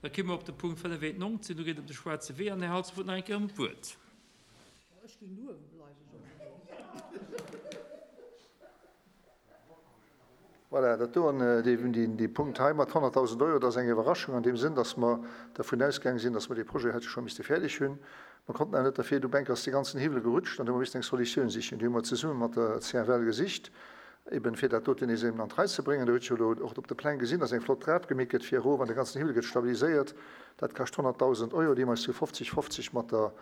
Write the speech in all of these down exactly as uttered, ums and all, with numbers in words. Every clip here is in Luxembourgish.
Da komme mer op de Punkt fënnefeentnonzeg, do geet et ëm de Schwaarze Wee an Här Halsdorf huet nach eng Kéier ëm d'Wuert. Ech géing do uewe bleiwen, Jean-Claude. Voilà, dat do an dee Punkt hei mat honnertdausend Euro, dat ass eng Iwwerraschung an deem Sënn, dass mer dervun ausgaange sinn, dass mer dee Projet hätte scho misste fäerdeg hunn. Mer konnten awer net derfir, du Bänk ass dee ganzen Hiwwel gerutscht an du hu mer missen eng Solutioun sichen. Déi hu mer zesumme mat der C F L gesicht, eben fir dat doten nees eben an d'Rei ze bréngen. Do hutt jo elo och op de Pläng gesinn, dass eng flott Trap gemeet gëtt fir erof an de ganzen Hiwwel gëtt stabiliséiert. Dat kascht honnertdausend Euro, déi mer eis zu fofzeg, fofzeg mat der,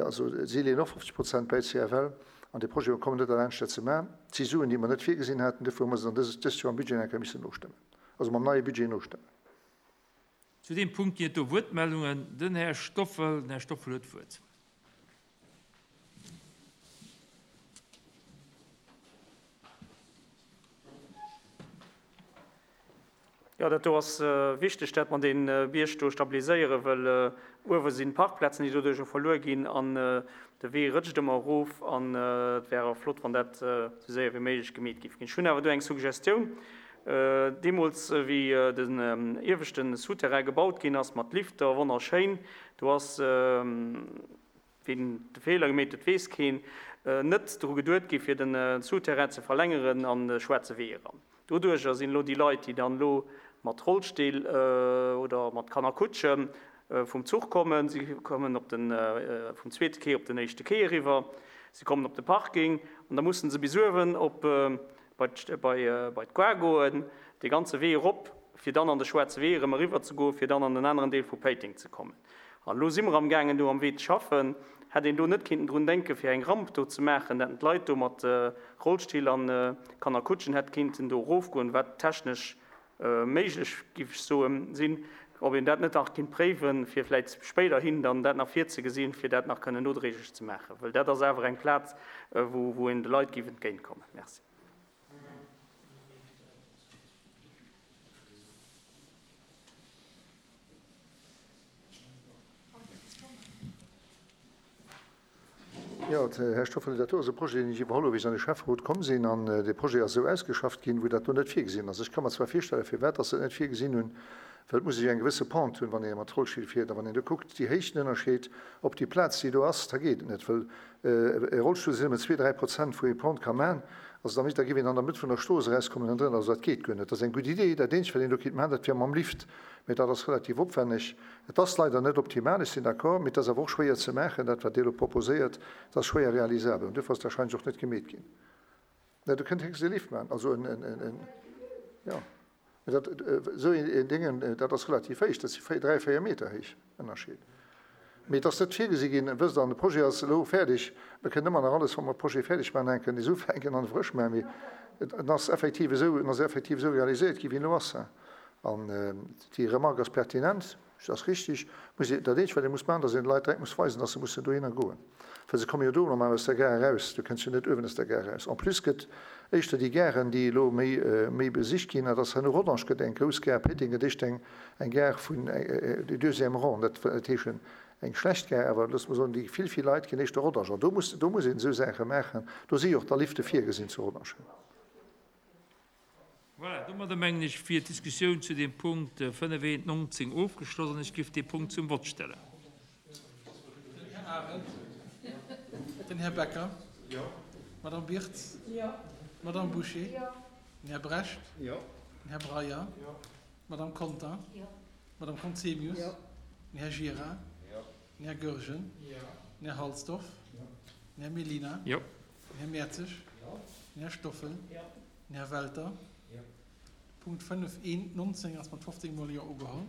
also si leeën och fofzeg Prozent bäi, C F L, an de Projet kommen net derlaanscht dat ze maachen. Et si Suen, déi mer net virgesinn haten, dofir hu mer se dann dëst dëst Joer am Budget eng Kéier missen nostëmmen, also mam neie Budget nostëmmen. Zu deem Punkt ginn et do Wuertmeldungen. Den Här Stoffel, den Här Stoffel huet d'Wuert. Jo, dat do ass wichteg, dat mer dee Bierg do stabiliséieren, well uewe sinn Parkplazen, déi doduercher verluer ginn an de Wee rëtscht ëmmer erof an et wär awer flott, wann dat esou séier wéi méiglech gemeet géif ginn. Ech hunn awer do eng Suggestioun. Deemools, wéi den ieweschte Souterrain gebaut ginn ass mat Lifter, wonnerschéin, do ass, wien de Feeler gemeet huet, weess keen, net dru geduet gi fir de Souterrain ze verlängeren an de Schwaarze Wee eran. Doduercher sinn elo déi Leit, déi dann elo mat Rollstill oder mat Kannerkutsche vum Zuch kommen, si kommen op den, vum zweete Quai op den éischte Quai eriwwer, si kommen op de Parking an da mussen se bis uewen op bei bei d'Gare goen, dee ganze Wee erop, fir dann an de Schwaarze Wee erëm eriwwer ze goen, fir dann an den aneren Deel vu Péiteng ze kommen. An elo si mer amgaangen do am Wee ze schaffen. Hätt een do net kinnten drun denken, fir eng Ramp do ze maachen, dat d'Leit do mat Rollstill an Kannerkutschen hätt kinnten do erofgoen, wat technesch méiglech, giff ech soen, sinn, ob een dat net nach kinnt préiwen, fir vläit spéiderhin dann dat nach virzegesinn, fir dat nach kënnen nodréiglech ze maachen, well dat ass awer eng Plaz, wou een de Leit giff entgéintkommen. Merci. Jo, Här Stoffel, dat do ass e Projet, deen ech iwwerholl hu wéi ech an de Schäfferot komm sinn. An dee Projet ass esou ausgeschafft ginn, wou dat do net virgesinn ass. Ech ka mer zwar virstellen, firwat dass se et net virgesinn hunn, well et muss ee jo eng gewësse Pente hunn, wann ee mat Rollstill fiert. A wann een do kuckt, déi Héichtenënnerscheed op déi Plaz, déi do ass, da geet et net, well e Rollstull sinn nëmmen zwee, dräi Prozent, wou ee Pente ka maachen. Also da misst, da géif een an der Mëtt vun der Strooss erauskommen an drënner. Also dat geet guer net. Dat ass eng gutt Idee. Dat eenzegt, wat een do kéint maachen, dat wier mam Lift. Mee dat ass relativ opwenneg. Et ass leider net optimal, ech sinn d'accord, mee et ass awer och schwéier ze maachen, dat wat Dir elo proposéiert, dat ass schwéier realisabel. An duerfir ass et warscheinlech och net gemeet ginn. Mä do kënnt héchstens e Lift maachen, also en, en, en, en, jo. Mee dat, esou een Déngen, dat ass relativ héich, dat si véier, dräi, véier Meter héich Ënnerscheed. Mee et ass net virgesi ginn, wësst Der, an de Projet ass elo fäerdeg. Mir kënnen ëmmer nach alles, wa mer de Projet fäerdeg maachen, enken nees ufänken an e frësch maachen, mee et ass effektiv esou, en ass effektiv esou realiséiert gi wéi en elo ass. An déi Remarque ass pertinent, dat ass richtig. Muss ee, dat eenzegt, wat ee muss maachen, datt een de Leit direkt muss weisen, datt se mussen dohinner goen. Well se komme jo do normal aus der Gare eraus, du kënns jo net uewen aus der Gare eraus. En plus gëtt éischter déi Garen, déi elo méi, méi besicht ginn, dat ass herno Rodange gëtt eng grouss Gare, Péiteng gëtt éischter eng, eng Gare vun du deuxième rang, dat wëll net heeschen eng schlecht Gare, awer loosse mer soen, déi vill, vill Leit ginn éischter Rodange. An do muss, do muss een esou Saache maachen. Do si jo och da Lifte virgesinn zu Rodange. Voilà, domadder mengen ech wier d'Diskussioun zu deem Punkt fënnefeentnonzeg ofgeschloss an ech géif dee Punkt zum Vott stellen. Den Här Arendt. Den Här Becker. Jo. D'Madame Birtz. Jo. D'Madame Bouché. Jo. Den Här Brecht. Jo. Den Här Breyer. Jo. D'Madame Conter. Jo. D'Madame Conzemius. Jo. Den Här Gira. Jo. Den Här Goergen. Jo. Den Här Halsdorf. Jo. Den Här Mellina. Jo. Den Här Mertzig. Jo. Den Här Stoffel. Jo. Den Här Welter. Jo. Punkt fënnef eent nonzéng ass mat fofzéng Mol Jo ugeholl.